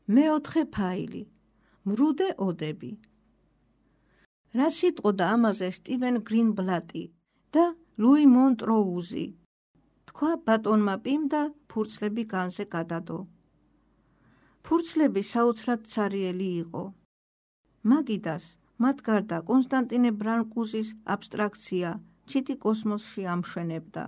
მეოთხე ფაილი. მრუდე ოდები. რა სიტყოდა ამაზე სტივენ გრინბლატი და ლუი მონტროუზი. თქვა ბატონმა პიმ და ფურცლები განზე გადადო. ფურცლები საოცრად ცარიელი იყო. მაგიდას მათ გარდა კონსტანტინე ბრანკუზის აბსტრაქცია ჩიტი კოსმოსში ამშვენებდა.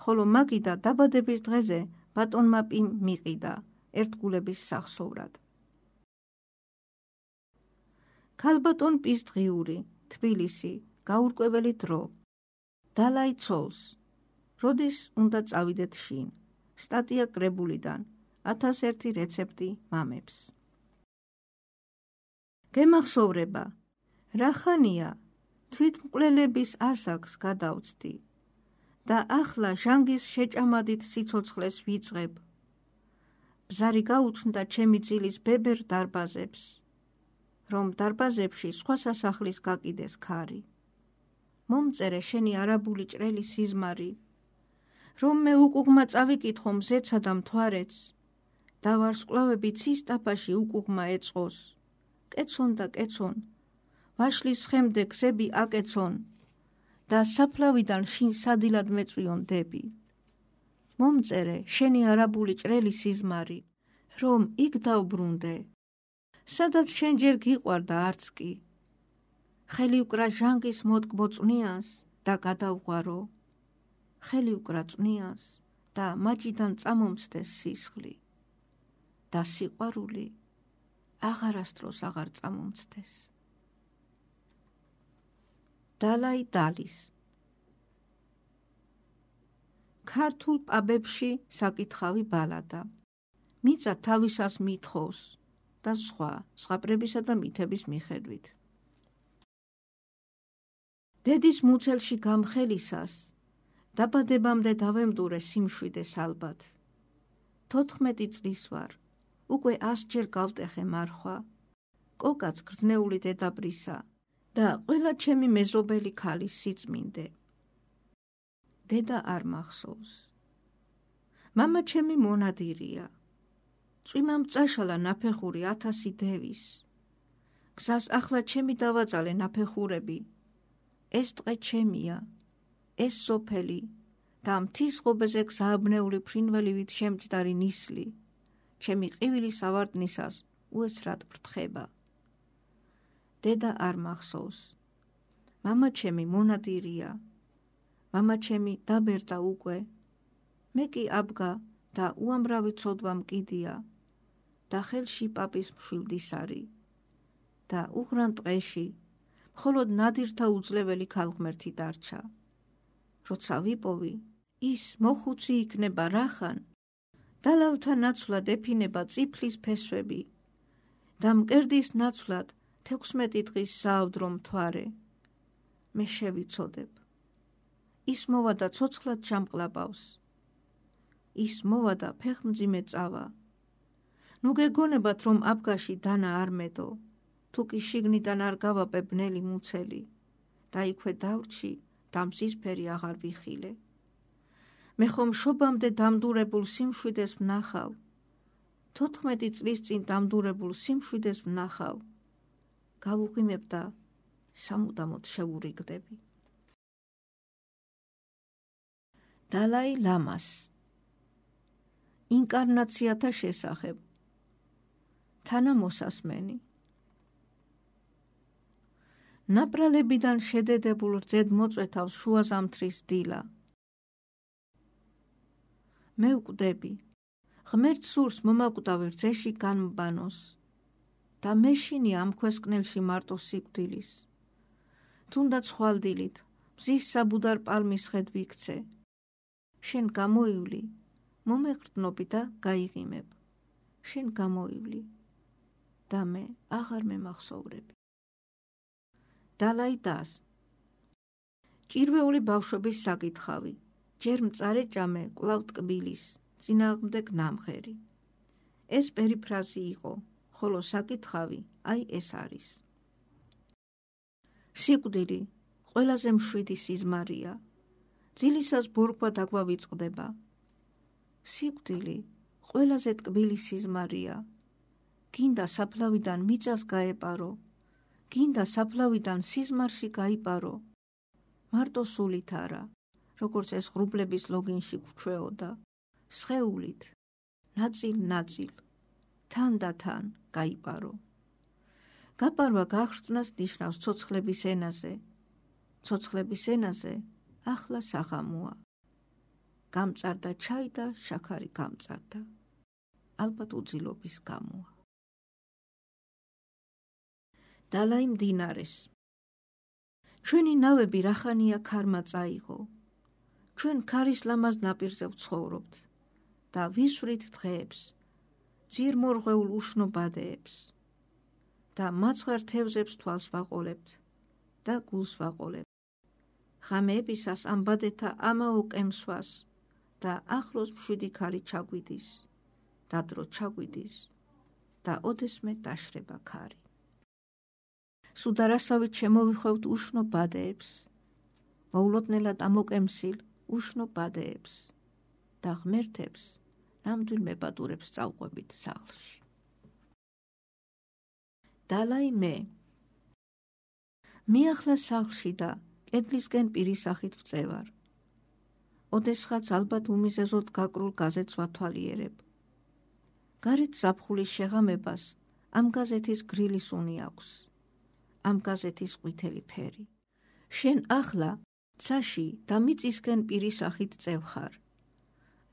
ხოლო მაგიდა დაბადების დღეზე ბატონმა პიმ მიყიდა ერთგულების სახსოვრად. ქალბატონ პის დღიური, თბილისი, გაურკვეველი დრო. დალაი ცოლს. როდის უნდა წავიდეთ შინ? სტატია კრებულიდან 1001 რეცეპტი მამებს. გემახსოვრება. რა ხანია თვითმკვლელების ასაკს გადავწდი და ახლა ჟანგის შეჭამადით სიცოცხლეს ვიწყებ. ბზარი გაუჩნდა ჩემი ძილის ბებერ დარბაზებს, რომ დარბაზებში სხვა სასახლის გაკიდეს ქარი. მომწერე შენი არაბული ჭრელი სიზმარი, რომ მე უკუღმა წავიკითხო მზეცა და მთვარეც, და ვარსკვლავები ცის ტაფაში უკუღმა ეწყოს. კეცონ და კეცონ, ვაშლის ხემდე გზები აკეცონ და საფლავიდან შინ სადილად მეწვიონ დები. მომწერე შენი არაბული ჭრელი სიზმარი, რომ იქ დავბრუნდე, სადაც შენ ჯერ გიყვარდა არც კი. ხელი უკრა ჟანგის მოტკბო წვნიანს და გადავღვარო. ხელი უკრა წვნიანს და მაჯიდან წამომცდეს სისხლი და სიყვარული აღარასდროს აღარ წამომცდეს. დალაი დალის. ქართულ პაბებში საკითხავი ბალადა. მიწა თავისას მithოვს და სხვა ზღაპრებისა და მითების მიხედვით. დედის მუცელში გამხელისას დაბადებამდე დავემდურე სიმშვიდეს ალბათ. 14 წლის ვარ, უკვე 100 ჯერ გავტეხე მარხვა, კოკაც გრძნეული დედაბრისა და ყველა ჩემი მეზობელი ქალის სიწმინდე. დედა არ მახსოვს. მამა ჩემი მონადირია. წვიმამ წაშალა ნაფეხური 1000 დევის. გზას ახლა ჩემი დავაწალე ნაფეხურები. ეს ტყე ჩემია, ეს სოფელი და მთის ღობეზე გზააბნეული ფრინველივით შემჯდარი ნისლი, ჩემი ყივილის ავარდნისას უეცრად ფრთხება. დედა არ მახსოვს. მამა ჩემი მონადირია. მამა ჩემი დაბერდა უკვე. მე კი აბგა და უამრავი ცოდვა მკიდია და ხელში პაპის მშვილდისარი და უღრან ტყეში მხოლოდ ნადირთა უძლეველი ქალღმერთი დარჩა. როცა ვიპოვი, ის მოხუცი იქნება რახან, დალალთა ნაცვლად ეფინება წიფლის ფესვები და მკერდის ნაცვლად 16 დღის საავდრო მთვარე. მე შევიცოდებ. ის მოვა და ცოცხლად ჩამყლაპავს. ის მოვა და ფეხმძიმე წავა. ნუ გეგონებათ, რომ აბგაში დანა არ მედო, თუ კი შიგნიდან არ გავაპე ბნელი მუცელი და იქვე დავრჩი და მზისფერი აღარ ვიხილე. მე ხომ შობამდე დამდურებულ სიმშვიდეს ვნახავ. 14 წლის წინ დამდურებულ სიმშვიდეს ვნახავ. გავუღიმებ და სამუდამოდ შევურიგდები. დალაი ლამას. ინკარნაციათა შესახებ. თანამოსასმენი. ნაპრალებიდან შედედებულ რძედ მოწვეთავს შუაზამთრის დილა. მე ვკვდები, ღმერთ სურს მომაკვდავი რძეში განმბანოს და მეშინია ამ ქვესკნელში მარტო სიკვდილის. თუნდაც ხვალდილით მზის საბუდარ პალმის ხედ ვიქცე. შენ გამოივლი, მომეყრდნობი და გაიღიმებ. შენ გამოივლი და მე აღარ მემახსოვრები. დალაი დას. ჭირვეული ბავშვობის საკითხავი. ჯერ მწარე ჭამე, კვლავ ტკბილის, წინააღმდეგ ნამღერი. ეს პერიფრაზი იყო, ხოლო საკითხავი აი ეს არის. სიკვდილი ყველაზე მშვიდი სიზმარია. ძილისას ბორგვა დაგვავიწყდება. სიკვდილი ყველაზე ტკბილი სიზმარია, გინდა საფლავიდან მიწას გაეპარო, გინდა საფლავიდან სიზმარში გაიპარო, მარტო სულით არა, როგორც ეს ღრუბლების ლოგინში გვჩვეოდა, სხეულით, ნაწილ-ნაწილ, თან და თან გაიპარო. გაპარვა გახრწნას ნიშნავს ცოცხლების ენაზე. ცოცხლების ენაზე ახლა საღამოა. გამწარდა ჩაი და შაქარი გამწარდა. ალბათ უძილობის გამოა. დალაი მდინარეს. ჩვენი ნავები რახანია ქარმა წაიღო. ჩვენ ქარის ლამაზ ნაპირზე ვცხოვრობთ და ვისვრით დღეებს, ძირმორღვეულ უშნო ბადეებს და მაცხარ თევზებს თვალს ვაყოლებთ და გულს ვაყოლებთ. ღამეებისას ამ ბადეთა ამაო კემსვას და ახლოს მშვიდი ქარი ჩაგვიდის და დრო ჩაგვიდის და ოდესმე დაშრება ქარი. სუდარასავით შემოვიხვევთ უშნო ბადეებს, მოულოდნელად ამოკემსილ უშნო ბადეებს და ღმერთებს ნამდვილ მებადურებს წავყვებით სახლში. დალაი მე. მიახლა სახლში და კედლისკენ პირისახით ვწევარ. ოდესღაც ალბათ უმიზეზოდ გაკრულ გაზეთს ვათვალიერებ. გარეთ ზაფხულის შეღამებას ამ გაზეთის გრილი სუნი აქვს. ამ გაზეთის ყვითელი ფერი. შენ ახლა ცაში და მიწისკენ პირისახით წევხარ.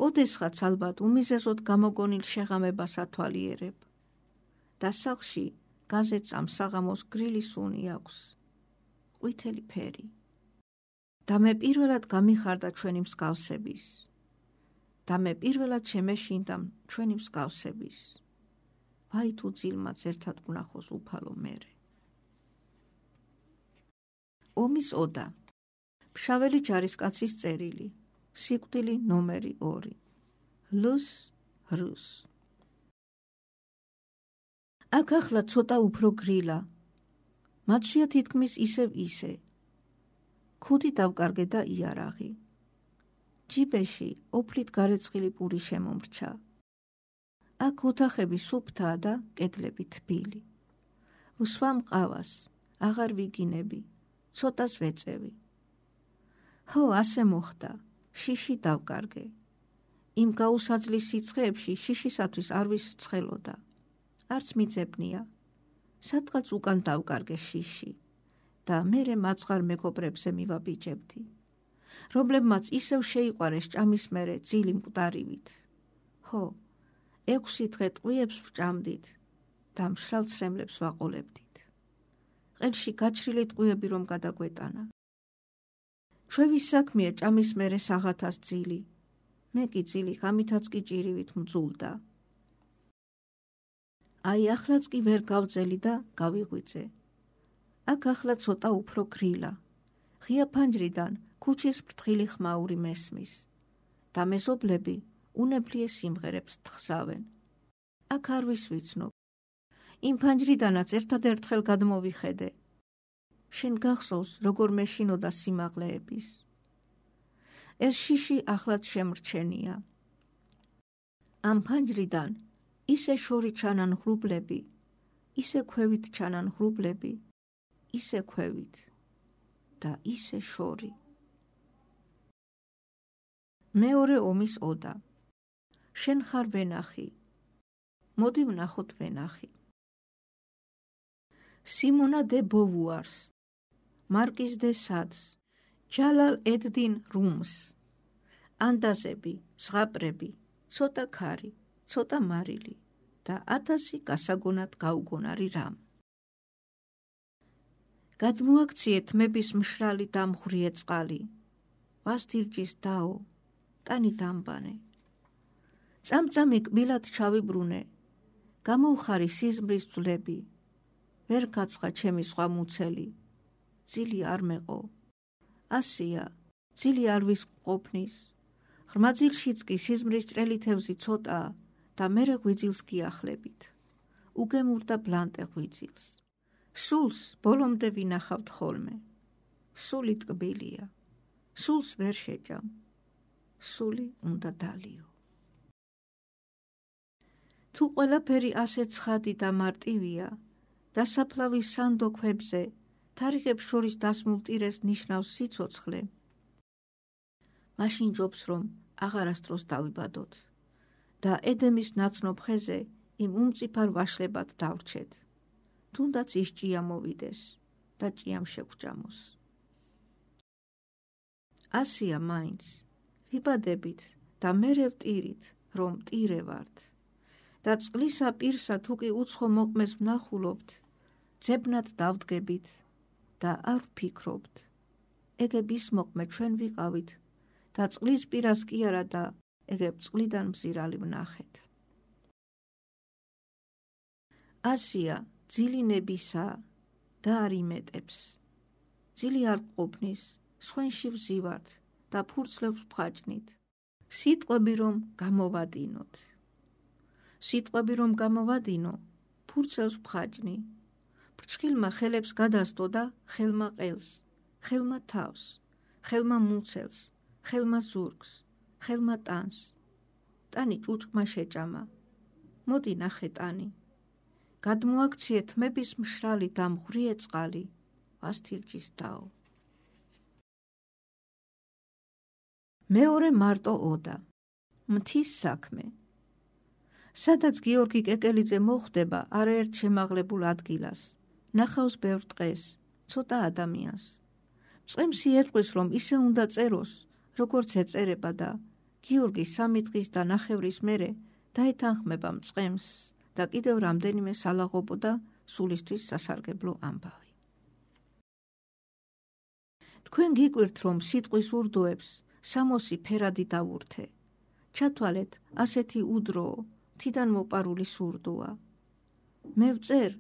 ოდესღაც ალბათ უმიზეზოდ გამოგონილ შეღამებას ათვალიერებ. და სახლში გაზეთს ამ საღამოს გრილი სუნი აქვს. ყვითელი ფერი. და მე პირველად გამიხარდა ჩვენი მსგავსების. და მე პირველად შემეშინდა ჩვენი მსგავსების. ვაი თუ ძილმაც ერთად გვნახოს უფალო მერე. ომის ოდა. ფშაველი ჯარისკაცის წერილი. სიკვდილი ნომერი 2. ლუს რუს. აქ ახლა ცოტა უფრო გრილა. მაცვია თითქმის ისევ ისე. ქუდი დავკარგე და იარაღი. ჯიბეში ოფლით გარეცხილი პური შემომრჩა. აქ ოთახები სუფთაა და კედლები თბილი. ვსვამ ყავას, აღარ ვიგინები, ცოტას ვეწევი. ჰო, ასე მოხდა, შიში დავკარგე. იმ გაუსაძლის სიცხეებში შიშისათვის არ ვისრცხელოდა. არც მიძებნია. სადღაც უკან დავკარგე შიში და მერე მაცხარ მეგობრებზე მივაბიჯებდი. რომლებმაც ისევ შეიყვარეს ჭამის მერე ძილი მკვდარივით. ჰო, 6 დღე ტყვიებს ვჭამდით და მშრალ ცრემლებს ვაყოლებდით. ყელში გაჩრილი ტყვიები რომ გადაგვეტანა. ჩვევის საქმეა ჭამის მერე საღათას ძილი. მე კი ძილი ღამითაც კი ჭირივით მძულდა. აი ახლაც კი ვერ გავძელი და გავიღვიძე. აქ ახლა ცოტა უფრო გრილა. ღია ფანჯრიდან ქუჩის ფრთხილი ხმაური მესმის და მეზობლები უნებლიე სიმღერებს თხზავენ. აქ არ ვისვიცნობ. იმ ფანჯრიდანაც ერთადერთხელ გადმოვიხედე. შენ გახსოვს, როგორ მეშინოდა სიმაღლეების. ეს შიში ახლაც შემრჩენია. ამ ფანჯრიდან ისე შორი ჩანან ღრუბლები, ისე ქვევით ჩანან ღრუბლები, ისე ქვევით და ისე შორი. მეორე ომის ოდა. შენ ხარ ვენახი. მოდი ვნახოთ ვენახი. სიმონა დე ბოვუარს, მარკიზ დე სადს, ჯალალ ედ-딘 რუმს. ანდაზები, ზღაპრები, ცოტა ქარი, ცოტა მარილი და 1000 გასაგონად გაუგონარი რამ. გადმოაქციეთ მების მშრალი დამღვრიე წყალი. ვასდირჯის დაო, ტანი დამბანე. წამწამი კბილად ჩავიბრუნე. გამოვხარი სიზმრის ძვლები. ვერ გაცხა ჩემი სხვა მუცელი. ძილი არ მეყო. ასია, ძილი არ ვისყოფნის. ღრმა ძილშიც კი სიზმრის ჭრელი თევზი ცოტაა და მერე ღვიძილს გიახლებით. უგემურდა ბლანტე ღვიძილს. სულს ბოლომდე ვინახავთ ხოლმე. სული ტკბილია. სულს ვერ შეჭამ. სული უნდა დალიო. თუ ყველაფერი ასე ცხადი და მარტივია, დასაფლავის სანდო ქვებზე თარიღებს შორის დასმულ ტირეს ნიშნავს სიცოცხლე, მაშინ ჯობს, რომ აღარასდროს დავიბადოთ და ედემის ნაცნობ ხეზე იმ უმწიფარ ვაშლებად დავრჩეთ, თუნდაც ის ჭია მოვიდეს და ჭიამ შეგვჭამოს. ასია მაინც, ვიბადებით და მერე ვტირით, რომ ტირე ვართ და წყლისა პირსა თუ კი უცხო მოყმეს ვნახულობთ, ძებნად დავდგებით და არ ვფიქრობთ, ეგებ ის მოყმე ჩვენ ვიყავით და წყლის პირას კი არა და ეგებ წყლიდან მზირალი ვნახეთ. ასია ძილი ნებისა და არ იმეტებს, ძილი არ ყოფნის, სხვენში ვზივართ და ფურცლებს ვხაჭნით, სიტყვები რომ გამოვადინოთ. სიტყვები რომ გამოვადინო, ფურცელს ვხაჭნი, ფრჩხილმა ხელებს გადასდო და ხელმა ყელს, ხელმა თავს, ხელმა მუცელს, ხელმა ზურგს, ხელმა ტანს. ტანი ჭუჭყმა შეჭამა, მოდი ნახე ტანი. გადმოაქციე თმების მშრალი და მღვრიე წყალი, ვასთილჯის დაო. მეორე მარტო ოდა, მთის საქმე. სადაც გიორგი კეკელიძე მოხვდება არაერთ შემაღლებულ ადგილას, ნახავს ბევრ ტყეს, ცოტა ადამიანს. წყემს იერყვის, რომ ისე უნდა წეროს, როგორც ეწერება და გიორგი 3 დღის და ნახევრის მერე დაეთანხმება მწყემს და კიდევ რამდენიმე სალაღობო და სულისთვის სასარგებლო ამბავი. თქვენ გიკვირთ, რომ სიტყვის ურდოებს სამოსი ფერადი დავურთე. ჩათვალეთ, ასეთი უდროო, თიდან მოპარული სურდოა. მე ვწერ,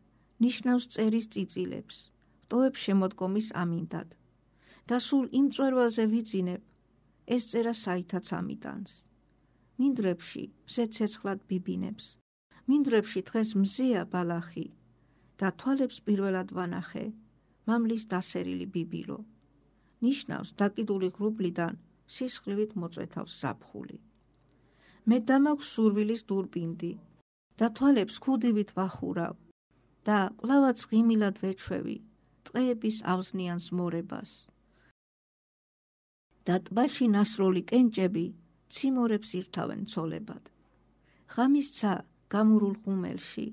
ნიშნავს წერის წიწილებს, ვტოვებ შემოდგომის ამინდად და სულ იმ მწვერვალზე ვიძინებ, ეს წერა საითაც ამიტანს. მინდვრებში მზე ცეცხლად ბიბინებს, მინდვრებში დღეს მზეა ბალახი და თვალებს პირველად ვანახე, მამლის დასერილი ბიბილო. ნიშნავს დაკიდული ღრუბლიდან სისხლივით მოწვეთავს ზაფხული. მე დამაქვს სურვილის დურბინდი და თვალებს ქუდივით ვახურავ და კვლავაც ღიმილად ვეჩვევი ტყეების ავზნიანს მორებას. და ტბაში ნასროლი კენჭები ციმორებს ირთავენ ცოლებად. ღამის ცა გამურულ ღუმელში,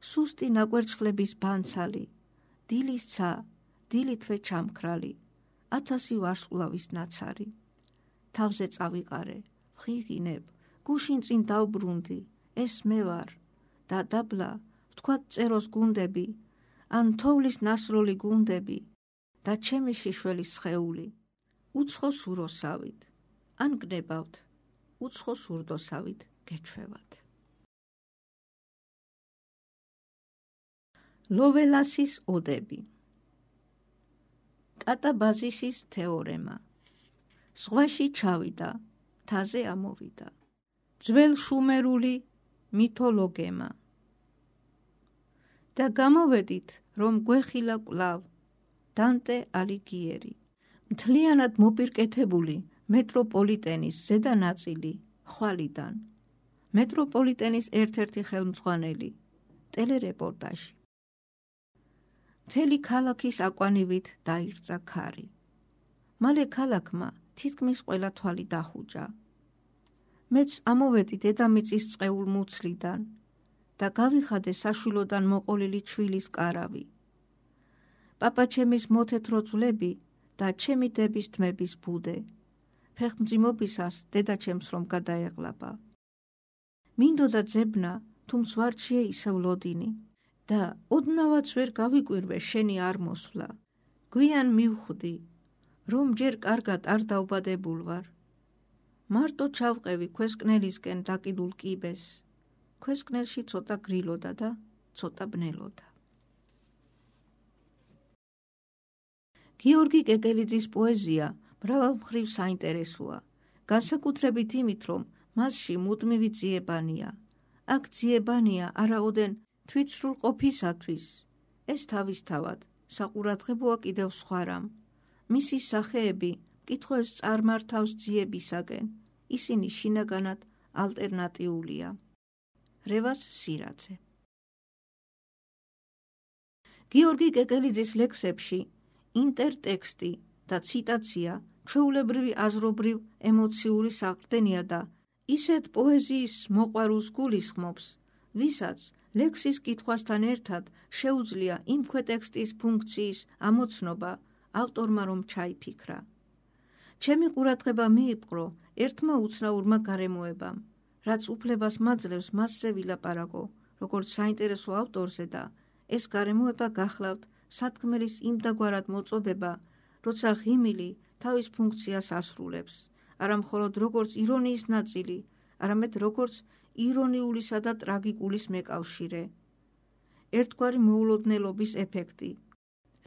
სუსტი ნაკვერცხლების ბანცალი, დილის ცა დილითვე ჩამქრალი, 1000 ვარსკვლავის ნაცარი. თავზე წავიყარე, ვღიღინებ, გუშინ წინ დავბრუნდი, ეს მე ვარ და დაბლა ვთქვათ წეროს გუნდები, ან თოვლის ნასროლი გუნდები და ჩემი შიშველის სხეული, უცხო სუროსავით, ან გნებავთ, უცხო სურდოსავით გეჩვევათ. ლოველასის ოდები. კატაბაზისის თეორემა. ზღვაში ჩავიდა, მთაზე ამოვიდა. ძველ შუმერული მითოლოგემა. და გამოვედით, რომ გვეხილა კვლავ დანტე ალიგიერი. მთლიანად მოპირკეთებული მეტროპოლიტენის ზედა ნაწილი ხვალიდან. მეტროპოლიტენის ერთ-ერთი ხელმძღვანელი ტელერეპორტაჟი. მთელი ქალაქის აკვანივით დაირწა ქარი. მალე ქალაქმა თითქმის ყველა თვალი დახუჭა. მეც ამოვედი დედამიწის წყეულ მუცლიდან და გავიხადე საშვილოდან მოყოლილი ჩვილის კარავი. პაპაჩემის მოთეთრო ძვლები და ჩემი დების თმების ბუდე. ფეხმძიმობისას დედაჩემს რომ გადაეღლაბა. მინდოდა ძებნა, თუმც ვარჩიე ისევ ლოდინი და ოდნავაც ვერ გავიკვირვე შენი არ მოსვლა. გვიან მივხვდი, რომ ჯერ კარგად არ დავბადებულ ვარ. მარტო ჩავყევი ქვესკნელისკენ დაკიდულ კიბეს. ქვესკნელში ცოტა გრილოდა და ცოტა ბნელოდა. გიორგი კეკელიძის პოეზია მრავალ მხრივ საინტერესოა, განსაკუთრებით იმით, რომ მასში მუდმივი ძიებანია. აქ ძიებანია არაოდენ თვითსრულ ყოფისათვის, ეს თავისთავად საყურადღებოა კიდევ სხვა რამ. მისი სახეები მკითხვას წარმართავს ძიებისაკენ, ისინი შინაგანად ალტერნატიულია. რევას სირაძე. გიორგი კეკელიძის ლექსებში ინტერტექსტი და ციტაცია ჩვეულებრივი აზრობრივ ემოციური საყრდენია და ისეთ პოეზიის მოყვარულს გულისხმობს, ვისაც ლექსის კითხვასთან ერთად შეუძლია იმ ქვეტექსტის ფუნქციის ამოცნობა ავტორმა რომ ჩაიფიქრა. ჩემი ყურადღება მიიპყრო ერთმა უცნაურმა გარემოებამ, რაც უფლებას მაძლევს მასზე ვილაპარაკო, როგორც საინტერესო ავტორზე და ეს გარემოება გახლავთ სათქმელის იმდაგვარად მოწოდება, როცა ღიმილი თავის ფუნქციას ასრულებს, არა მხოლოდ როგორც ირონიის ნაწილი, არამედ როგორც ირონიულისა და ტრაგიკულის მეკავშირე. ერთგვარი მოულოდნელობის ეფექტი,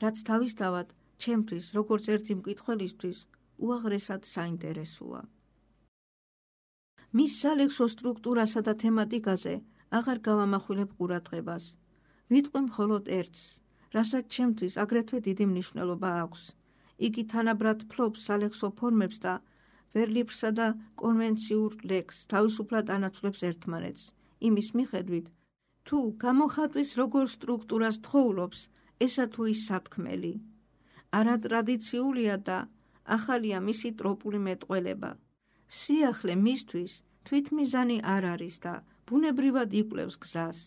რაც თავისთავად ჩემთვის, როგორც ერთი მკითხველისთვის, უაღრესად საინტერესოა. მის სალექსო სტრუქტურასა და თემატიკაზე აღარ გავამახვილებ ყურადღებას. ვიტყვი მხოლოდ ერთს, რასაც ჩემთვის აგრეთვე დიდი მნიშვნელობა აქვს. იგი თანაბრად ფლობს სალექსო ფორმებს და ვერლიფრსა და კონვენციურ ლექსს თავისუფლად ანაცვლებს ერთმანეთს, იმის მიხედვით, თუ გამოხატვის როგორ სტრუქტურას თხოვლობს ესა თუ ის სათქმელი. არატრადიციულია და ახალია მისი ტროპული მეტყველება. სიახლე მისთვის თვითმიზანი არ არის და ბუნებრივად იკვლევს გზას.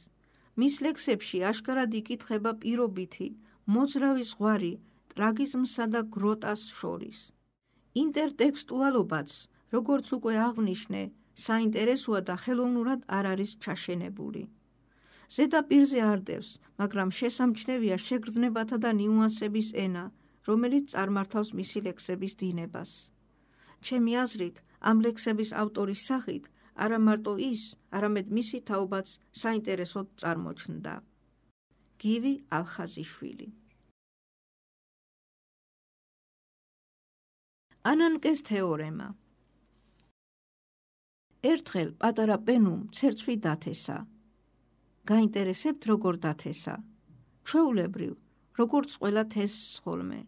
მის ლექსებში აშკარად იკითხება პირობითი, მოძრავი ზღვარი ტრაგიზმსა და გროტას შორის. ინტერტექსტუალობაც, როგორც უკვე აღვნიშნე, საინტერესოა და ხელოვნურად არ არის ჩაშენებული. ზედაპირზე არდევს, მაგრამ შესამჩნევია შეგრძნებათა და ნიუანსების ენა, რომელიც წარმართავს მისი ლექსების დინებას. ჩემი აზრით, ამ ლექსების ავტორის სახით არა მარტო ის, არამედ მისი თაობაც საინტერესოდ წარმოჩნდა. გივი ალხაზიშვილი. ანანკეს თეორემა. ერთხელ პატარა პენუმ ცერცვი დათესა. გაინტერესებთ როგორ დათესა? ჩვეულებრივ, როგორც ყველა თესს ხოლმე.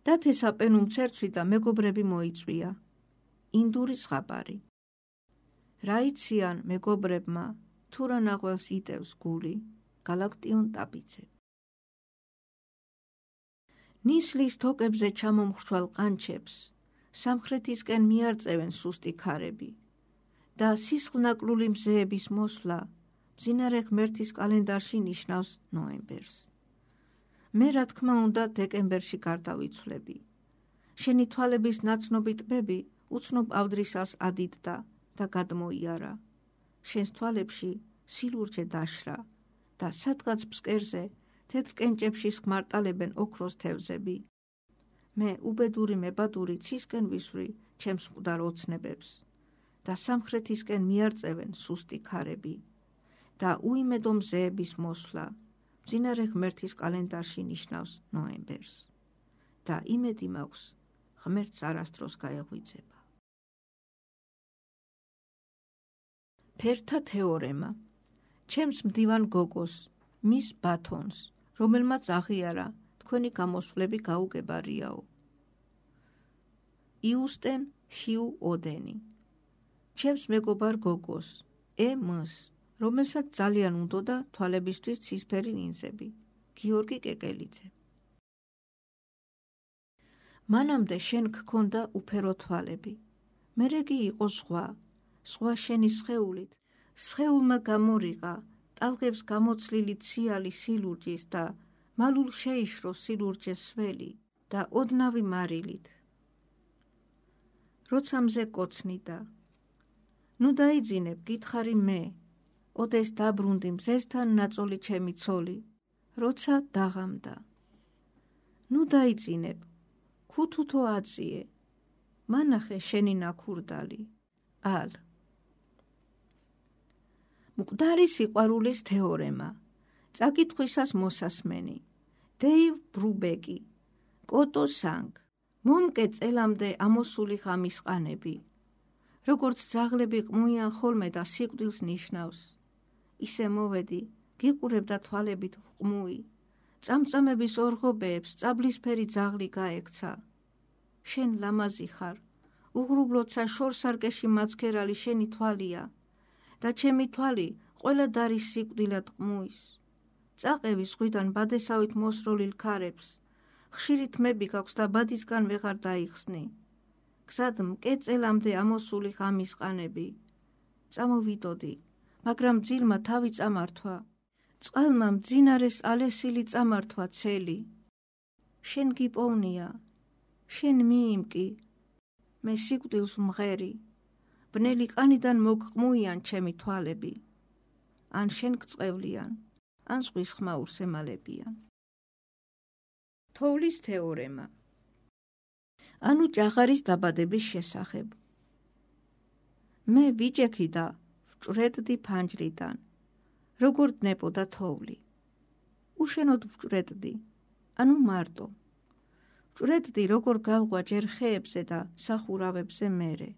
დათესა პენუმ ცერცვი და მეგობრები მოიწვია. ინდური ზღაპარი. რა იციან მეგობრებმა, თუ რა ნახველს იტევს გული, გალაქტიონ ტაბიძე. ნისლის თოკებზე ჩამომხრჩვალ ყანჩებს სამხრეთისკენ მიარწევენ სუსტი ქარები და სისხლნაკლული მზეების მოსვლა მძინარე ღმერთის კალენდარში ნიშნავს ნოემბერს. მე რა თქმა უნდა დეკემბერში გარდავიცვლები. შენი თვალების ნაცნობი ტბები უცნობ ავდრისას ადიდდა და გადმოიარა. შენს თვალებში სილურჯე დაშრა და სადღაც ფსკერზე თეთრ კენჭებში სხმარტალებენ ოქროს თევზები. მე უბედური მებადური ცისკენ ვისვრი ჩემს მკვდარ ოცნებებს და სამხრეთისკენ მიარწევენ სუსტი ქარები და უიმედო მზეების მოსვლა მძინარე ღმერთის კალენდარში ნიშნავს ნოემბერს და იმედი მაქვს ღმერთს არასდროს გაეღვიძება. ფერთა თეორემა. ჩემს მდივან გოგოს, მის ბათონს, რომელმაც აღიარა თქვენი გამოსვლები გაუგებარიაო. იუსტენ ჰიუ ოდენი. ჩემს მეგობარ გოგოს, ემს, რომელსაც ძალიან უნდოდა თვალებისთვის ცისფერი ლინზები, გიორგი კეკელიძე. მანამდე შენ გქონდა უფერო თვალები, მერეგი იყო სხვა, სხვა შენი სხეულით, სხეულმა გამორიყა, ტალღებს გამოცლილი ციალი სილურჯის და მალულ შეიშრო სილურჯეს სველი და ოდნავი მარილით. როცა მზე კოცნიდა, ნუ დაიძინებ, გითხარი მე, ოდეს დაბრუნდი მზესთან ნაწოლი ჩემი ცოლი, როცა დაღამდა. ნუ დაიძინებ, ქუთუთო აწიე, მანახე შენი ნაქურდალი, ალ. მკვდარი სიყვარულის თეორემა. წაკითხვისას მოსასმენი. დეივ ბრუბეკი. კოტო სანგ. მომკე წელამდე ამოსული ღამის ყანები. როგორც ძაღლები ყმუიან ხოლმე და სიკვდილს ნიშნავს. ისე მოვედი, გიყურებდა თვალებით ყმუი. წამწამების ორღობეებს წაბლისფერი ძაღლი გაექცა. შენ ლამაზი ხარ, უღრუბლოცა შორსარკეში მაცქერალი შენი თვალია და ჩემი თვალი ყველა დარის სიკვდილად ყმუის, წაყევი ზღვიდან ბადესავით მოსროლილ ქარებს, ხშირი თმები გაქვს და ბადისგან ვეღარ დაიხსნი, გზად მკეწელამდე ამოსული ღამის ყანები, წამოვიდოდი, მაგრამ ძილმა თავი წამართვა, წყალმა მძინარეს ალესილი წამართვა ცელი, შენ გიპოვნია, შენ მიიმკი, მე სიკვდილს მღერი, ბნელი ყანიდან მოგყმუიან ჩემი თვალები, ან შენ გწყევლიან, ან ზღვის ხმაურს ემალებიან. თოვლის თეორემა. ანუ ჭაღარის დაბადების შესახებ. მე ვიჭექი და ვჭრედდი ფანჯრიდან, როგორ დნებოდა თოვლი. უშენოდ ვჭრედდი, ანუ მარტო. ვჭრედდი როგორ გალღვა ჯერ ხეებზე და სახურავებზე მერე.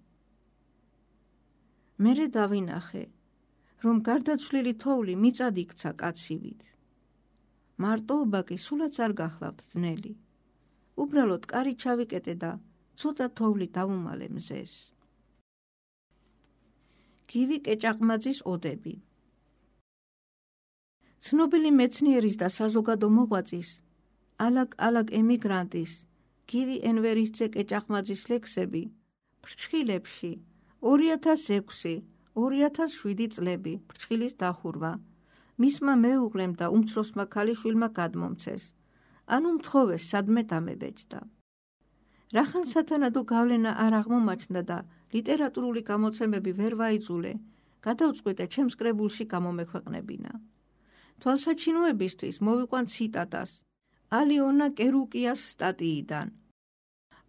მერე დავინახე, რომ გარდაცვლილი თოვლი მიწად იქცა კაცივით. მარტოობა კი სულაც არ გახლავთ ძნელი. უბრალოდ კარი ჩავიკეტე და ცოტა თოვლი დავუმალე მზეს. გივი კეჭაყმაძის ოდები. ცნობილი მეცნიერის და საზოგადო მოღვაწის, ალაგ ემიგრანტის, გივი ენვერისძე კეჭაყმაძის ლექსები ფრჩხილებში 2006-2007 წლები ფრჩხილის დახურვა მისმა მეუღლემ და უმცროსმა ქალიშვილმა გადმომცეს, ანუ მთხოვეს სადმე დამებეჭდა. რახან სათანადო გავლენა არ აღმომაჩნდა და ლიტერატურული გამოცემები ვერ ვაიძულე, გადავწყვიტე ჩემს კრებულში გამომექვეყნებინა. თვალსაჩინოებისთვის მოვიყვან ციტატას ალიონა კერუკიას სტატიიდან.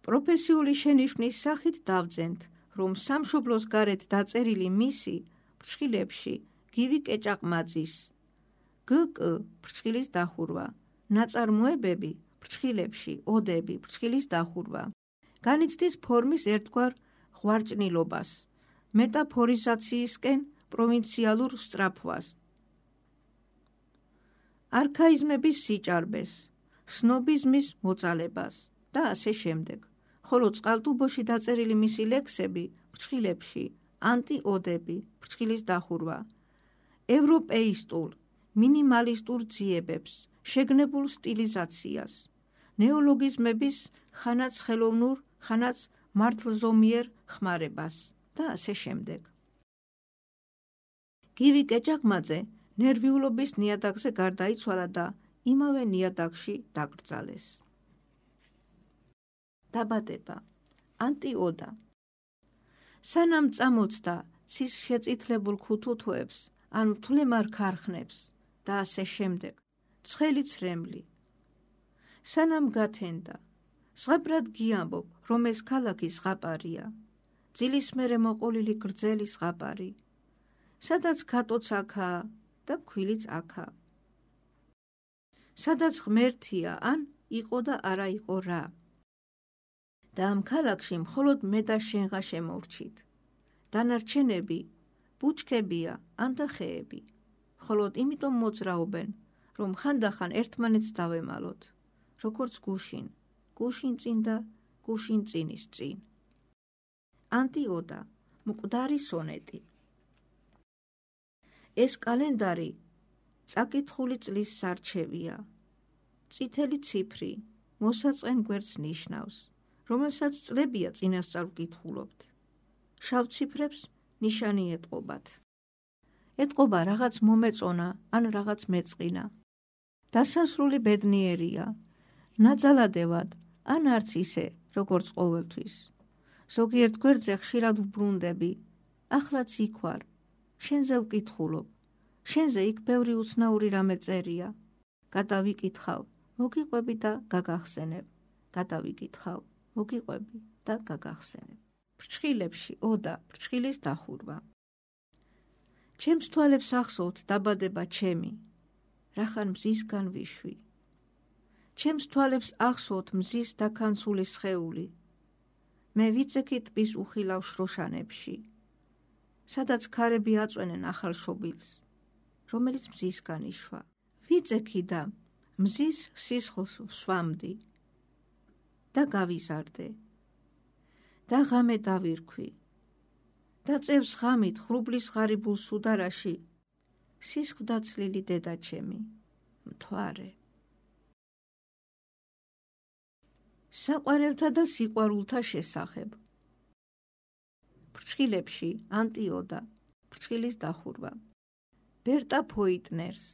პროფესიული შენიშვნის სახით დავძენთ, რომ სამშობლოს გარეთ დაწერილი მისი ფრჩხილებში გივი კეჭაყმაძის გკ ფრჩხილის დახურვა, ნაწარმოებები ფრჩხილებში ოდები ფრჩხილის დახურვა განიცდის ფორმის ერთგვარ ღვარჭნილობას, მეტაფორიზაციისკენ პროვინციალურ სწრაფვას, არქაიზმების სიჭარბეს, სნობიზმის მოწალებას და ასე შემდეგ. ხოლო წყალტუბოში დაწერილი მისი ლექსები ფრჩხილებში ანტიოდები ფრჩხილის დახურვა ევროპეისტულ, მინიმალისტურ ძიებებს, შეგნებულ სტილიზაციას, ნეოლოგიზმების ხანაც ხელოვნურ, ხანაც მართლზომიერ ხმარებას და ასე შემდეგ. გივი კეჭაყმაძე ნერვიულობის ნიადაგზე გარდაიცვალა და იმავე ნიადაგში დაკრძალეს. დაბადება. ანტიოდა. სანამ წამოწდა ცის შეწითლებულ ქუთუთოებს, ან მთლემარ ქარხნებს და ასე შემდეგ, ცხელი ცრემლი. სანამ გათენდა, ზღაპრად გიამბობ, რომ ეს ქალაქი ზღაპარია, ძილის მერე მოყოლილი გრძელი ზღაპარი, სადაც ქატოც აქაა და ფქვილიც აქაა. სადაც ღმერთია, ან იყო და არა იყო რა. და ამ ქალაქში მხოლოდ მე და შენღა შემორჩით. დანარჩენები ბუჩქებია ან და ხეები, მხოლოდ იმიტომ მოძრაობენ, რომ ხანდახან ერთმანეთს დავემალოთ, როგორც გუშინ, გუშინ წინ და გუშინ წინის წინ. ანტიოდა, მკვდარი სონეტი. ეს კალენდარი წაკითხული წლის სარჩევია, წითელი ციფრი მოსაწყენ გვერდს ნიშნავს, რომელსაც წლებია წინასწარ ვკითხულობთ. შავ ციფრებს ნიშანი ეტყობათ. ეტყობა რაღაც მომეწონა ან რაღაც მეწყინა. დასასრული ბედნიერია, ნაძალადევად ან არც ისე, როგორც ყოველთვის. ზოგიერთ გვერდზე ხშირად ვბრუნდები, ახლაც იქ ვარ, შენზე ვკითხულობ, შენზე იქ ბევრი უცნაური რამე წერია. გადავიკითხავ, მოგიყვები და გაგახსენებ, გადავიკითხავ, მოგიყვები და გაგახსენებ. ფრჩხილებში ოდა ფრჩხილის დახურვა. ჩემს თვალებს ახსოვთ დაბადება ჩემი, რახან მზისგან ვიშვი. ჩემს თვალებს ახსოვთ მზის დაქანცული სხეული. მე ვიწექი ტბის უხილავ შროშანებში, სადაც ქარები აწვენენ ახალ შობილს, რომელიც მზისგან იშვა. ვიწექი და მზის სისხლს ვსვამდი და გავიზარდე და ღამე დავირქვი და წევს ღამით ხრუბლის ღარიბულ სუდარაში სისხლდა ცლილი დედაჩემი, მთვარე. საყვარელთა და სიყვარულთა შესახებ. ფრჩხილებში ანტიოდა, ფრჩხილის დახურვა. ბერტა ფოიტნერს,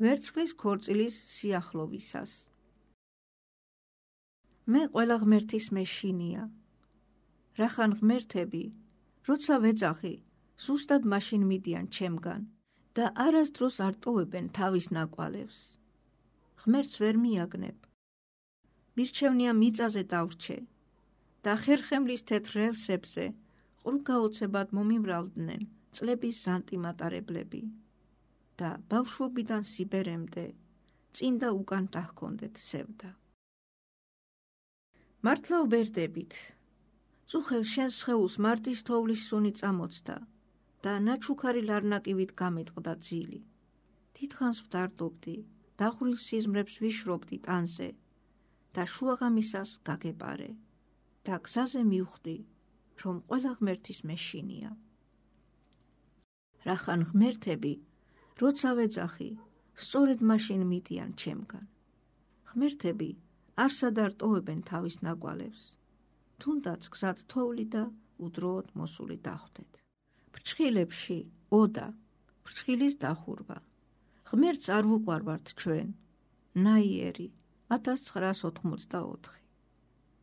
ვერცხლის ქორწილის სიახლოვისას. მე ყველა ღმერთის მეშინია. რახან ღმერთები, როცა ვეძახი, ზუსტად მაშინ მიდიან ჩემგან და არასდროს არ ტოვებენ თავის ნაკვალევს. ღმერთს ვერ მიაგნებ. მირჩევნია მიწაზე დავრჩე და ხერხემლის თეთრ რელსებზე ყრუგაოცებად მომიმრავლდნენ წლების ზანტიმატარებლები და ბავშვობიდან სიბერემდე წინ და უკან დაჰქონდეთ სევდა. მართლა ვბერდებით. წუხელ შენს სხეულს მარტის თოვლის სუნი წამოწდა და ნაჩუქარი ლარნაკივით გამეტყდა ძილი. დიდხანს ვდარდობდი, დახვრილ სიზმრებს ვიშრობდი ტანზე და შუაღამისას გაგეპარე და გზაზე მივხვდი, რომ ყველა ღმერთის მეშინია. რახან ღმერთები, როცა ვეძახი, სწორედ მაშინ მიდიან ჩემგან. ღმერთები არსად არ ტოვებენ თავის ნაკვალევს, თუნდაც გზად თოვლი და უდროოდ მოსული დახვდეთ. ფრჩხილებში ოდა, ფრჩხილის დახურვა. ღმერთს არ ვუყვარვართ ჩვენ, ნაიერი 1984.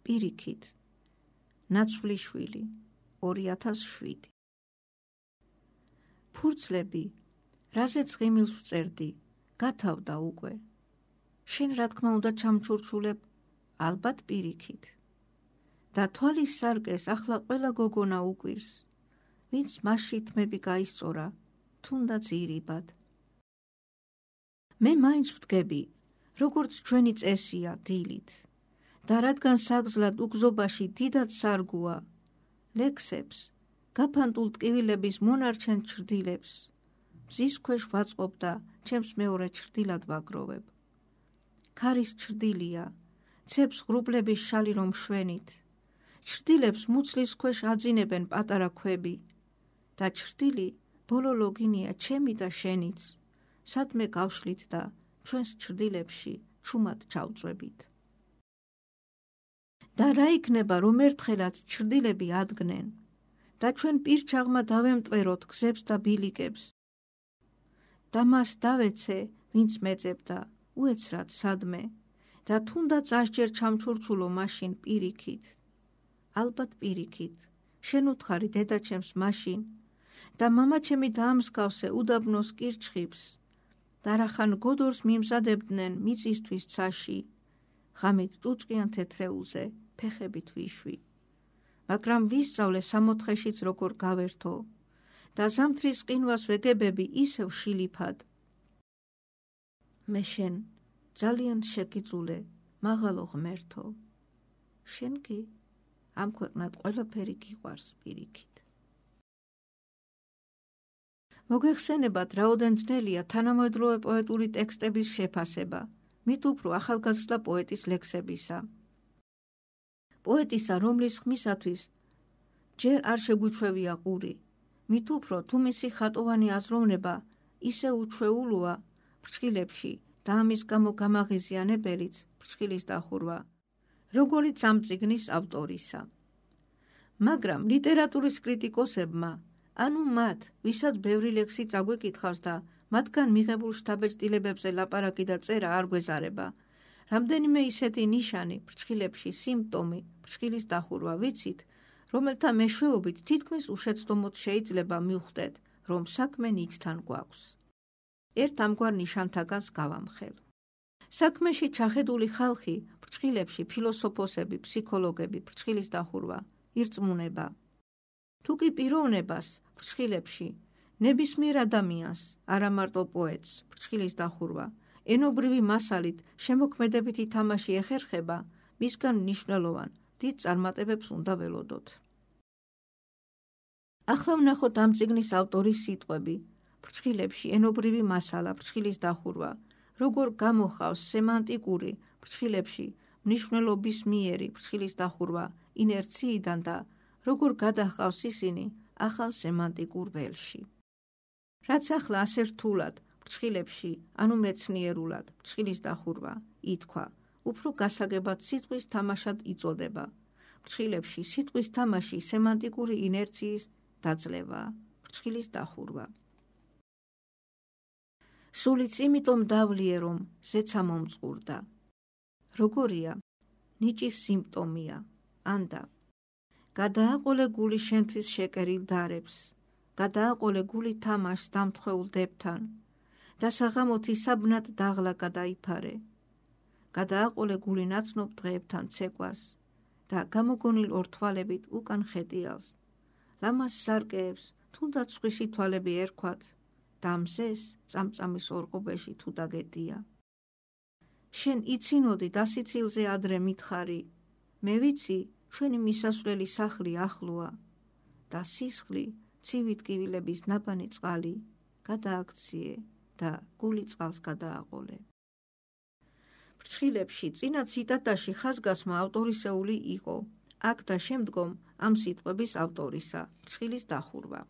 პირიქით, ნაცვლიშვილი 2007. ფურცლები, რაზეც ღიმილს ვწერდი, გათავდა უკვე. შენ რა თქმა უნდა ჩამჩურჩულებ, ალბათ პირიქით. და თვალის სარკეს ახლა ყველა გოგონა უკვირს, ვინც მასში თმები გაისწორა, თუნდაც ირიბად. მე მაინც ვდგები, როგორც ჩვენი წესია დილით და რადგან საგზლად უგზობაში დიდად სარგუა, ლექსებს, გაფანტულ ტკივილების მონარჩენ ჩრდილებს, მზის ქვეშ ვაწყობ და ჩემს მეორე ჩრდილად ვაგროვებ. ქარის ჩრდილია, ცეps ღრუბლების შალი რომ შვენით, ჩრდილებს მუცლის ქვეშ აძინებენ პატარა ქვები და ჩრდილი ბოლო ლოგინია ჩემი და შენიც, სადმე გავშლით და ჩვენს ჩრდილებში ჩუმად ჩავწვებით. და რა იქნება რომ ერთხელაც ჩრდილები ადგნენ და ჩვენ პირჩაღმა დავემტვეროთ გზებს და ბილიკებს და მას დავეცე, ვინც მეწებდა, უეცრად სადმე და თუნდაც ასჯერ ჩამჩურჩულო მაშინ პირიქით. ალბათ პირიქით, შენ უთხარი დედაჩემს მაშინ და მამაჩემი დაამსგავსე უდაბნოს კირჩხიბს და რახან გოდორს მიმზადებდნენ მიწისთვის ცაში, ღამით ჭუჭყიან თეთრეულზე ფეხებით ვიშვი. მაგრამ ვისწავლე სამოთხეშიც როგორ გავერთო და ზამთრის ყინვას ვეგებები ისევ შილიფად. მე შენ ძალიან შეგიძულე, მაღალო ღმერთო. შენ კი ამ ქვეყნად ყველაფერი გიყვარს პირიქით. მოგეხსენებათ, რაოდენ ძნელია თანამედროვე პოეტური ტექსტების შეფასება, მით უფრო ახალგაზრდა პოეტის ლექსებისა. პოეტისა, რომლის ხმისათვის ჯერ არ შეგვიჩვევია ყური, მით უფრო თუ მისი ხატოვანი აზროვნება ისე უჩვეულოა ფრჩხილებში და ამის გამო გამაღიზიანებელიც ფრჩხილის დახურვა, როგორიც ამ წიგნის ავტორისა. მაგრამ ლიტერატურის კრიტიკოსებმა, ანუ მათ, ვისაც ბევრი ლექსი წაგვეკითხავს და მათგან მიღებულ შთაბეჭდილებებზე ლაპარაკი და წერა არ გვეზარება, რამდენიმე ისეთი ნიშანი ფრჩხილებში სიმპტომი ფრჩხილის დახურვა ვიცით, რომელთა მეშვეობით თითქმის უშეცდომოდ შეიძლება მივხვდეთ, რომ საქმე ნიჭთან გვაქვს. ერთ ამგვარ ნიშანთაგანს გავამხელ. საქმეში ჩახედული ხალხი ფრჩხილებში ფილოსოფოსები, ფსიქოლოგები, ფრჩხილის დახურვა, ირწმუნება. თუ კი პიროვნებას ფრჩხილებში, ნებისმიერ ადამიანს, არა მარტო პოეტს, ფრჩხილის დახურვა, ენობრივი მასალით შემოქმედებითი თამაში ეხერხება, მისგან მნიშვნელოვან დიდ წარმატებებს უნდა ველოდოთ. ახლა ვნახოთ ამ წიგნის ავტორის სიტყვები, ფრჩხილებში ენობრივი მასალა, ფრჩხილის დახურვა, როგორ გამოხავს სემანტიკური ფრჩხილებში მნიშვნელობის მიერი ფრჩხილის დახურვა ინერციიდან და როგორ გადაჰყავს ისინი ახალ სემანტიკურ ველში. რაც ახლა ასე რთულად ფრჩხილებში, ანუ მეცნიერულად ფრჩხილის დახურვა ითქვა, უფრო გასაგებად სიტყვის თამაშად იწოდება. ფრჩხილებში სიტყვის თამაში სემანტიკური ინერციის დაძლევა, ფრჩხილის დახურვა. სულიც იმიტომ დავლიე, რომ ზეცა მომწყურდა. როგორია? ნიჭის სიმპტომია, ანდა. გადააყოლე გული შენთვის შეკერილ დარებს, გადააყოლე გული თამაშს დამთხეულ დებთან და საღამოთი საბნად დაღლა გადაიფარე. გადააყოლე გული ნაცნობ დღეებთან ცეკვას და გამოგონილ ორთვალებით უკან ხეტიალს, ლამას სარკეებს თუნდაც სხვისი თვალები ერქვათ და მზეს წამწამის ორყობეში თუ დაგეტია. შენ იცინოდი დასიცილზე ადრე მითხარი, მე ვიცი ჩვენი მისასვლელი სახლი ახლოა და სისხლი ცივი ტკივილების ნაბანი წყალი გადააქციე და გული წყალს გადააყოლე. ფრჩხილებში წინა ციტატაში ხაზგასმა ავტორისეული იყო, აქ და შემდგომ ამ სიტყვების ავტორისა, ფრჩხილის დახურვა.